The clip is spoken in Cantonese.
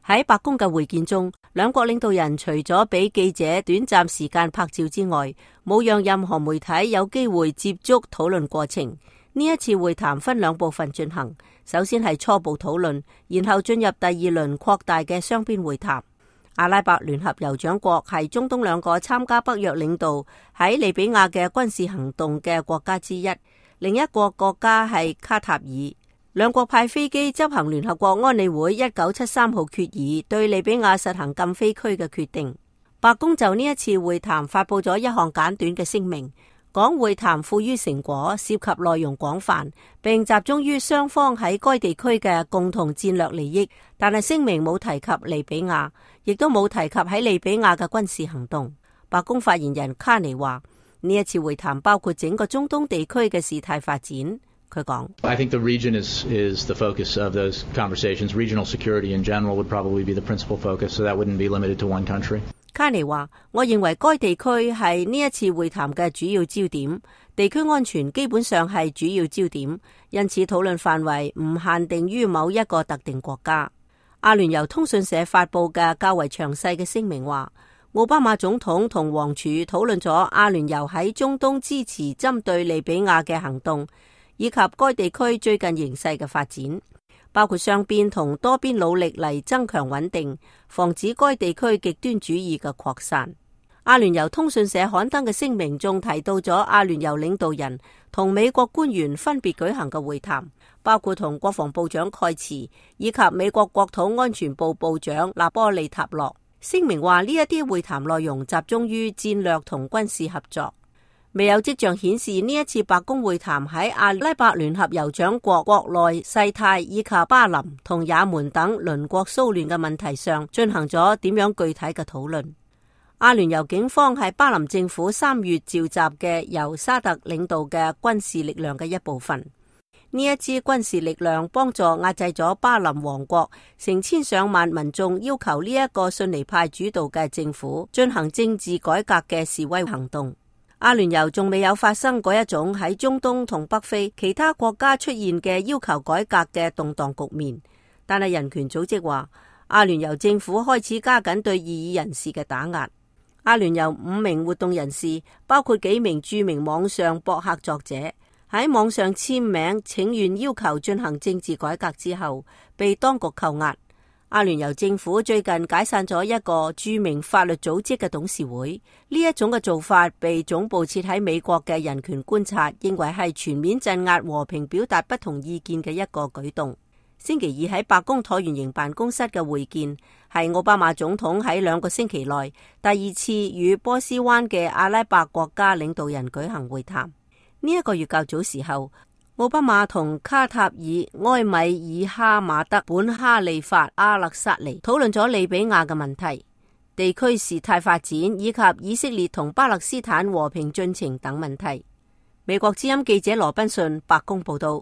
喺白宮嘅會見中，兩國領導人除咗俾記者短暫時間拍照之外，冇讓任何媒體有機會接觸討論過程。呢一次會談分兩部分進行，首先係初步討論，然後進入第二輪擴大嘅雙邊會談。阿拉伯聯合酋長國係中東兩個參加北約領導喺利比亞嘅軍事行動嘅國家之一，另一個國家係卡塔爾。兩國派飛機執行聯合國安理會1973號決議對利比亞實行禁飛區嘅決定。白宮就呢一次會談發佈咗一項簡短嘅聲明，講會談富於成果，涉及內容廣泛，並集中於雙方喺該地區嘅共同戰略利益。但係聲明冇提及利比亞，亦都冇提及喺利比亞嘅軍事行動。白宮發言人卡尼話：呢一次會談包括整個中東地區嘅事態發展。佢講 I think the region is the focus of those conversations. Regional security in general would probably be the principal focus, so that wouldn't be limited to one country. 卡尼話：我認為該地區係呢一次會談嘅主要焦點，地區安全基本上係主要焦點，因此討論範圍唔限定於某一個特定國家。阿聯酋通訊社發佈嘅較為詳細嘅聲明話，奧巴馬總統同王儲討論咗阿聯酋喺中東支持針對利比亞嘅行動，以及該地區最近形勢嘅發展，包括雙邊同多邊努力嚟增強穩定，防止該地區極端主義嘅擴散。阿聯酋通訊社刊登嘅聲明仲提到咗阿聯酋領導人同美國官員分別舉行嘅會談，包括同國防部長蓋茨以及美國國土安全部部長納波利塔洛。聲明話呢一啲會談內容集中於戰略同軍事合作。未有跡象顯示呢一次白宮會談喺阿拉伯聯合酋長國國內事態以及巴林同也門等鄰國騷亂嘅問題上進行咗點樣具體嘅討論。阿聯酋警方係巴林政府3月召集嘅由沙特領導嘅軍事力量嘅一部分。呢一支軍事力量幫助壓制咗巴林王國成千上萬民眾要求呢一個遜尼派主導嘅政府進行政治改革嘅示威行動。阿聯酋仲未有發生嗰一種喺中東同北非其他國家出現嘅要求改革嘅動盪局面，但係人權組織話，阿聯酋政府開始加緊對異議人士嘅打壓。阿聯酋5名活動人士，包括幾名著名網上博客作者，喺網上簽名請願要求進行政治改革之後，被當局扣押。阿聯酋政府最近解散咗一個著名法律組織嘅董事會，呢一種嘅做法被總部設喺美國嘅人權觀察認為係全面鎮壓和平表達不同意見嘅一個舉動。星期二喺白宮橢圓形辦公室嘅會見，係奧巴馬總統喺2個星期內第二次與波斯灣嘅阿拉伯國家領導人舉行會談。呢一個月較早時候，奧巴馬同卡塔爾埃米爾哈馬德本哈利法阿勒薩尼討論咗利比亞嘅問題、地區事態發展以及以色列同巴勒斯坦和平進程等問題。美國之音記者羅賓遜白宮報道。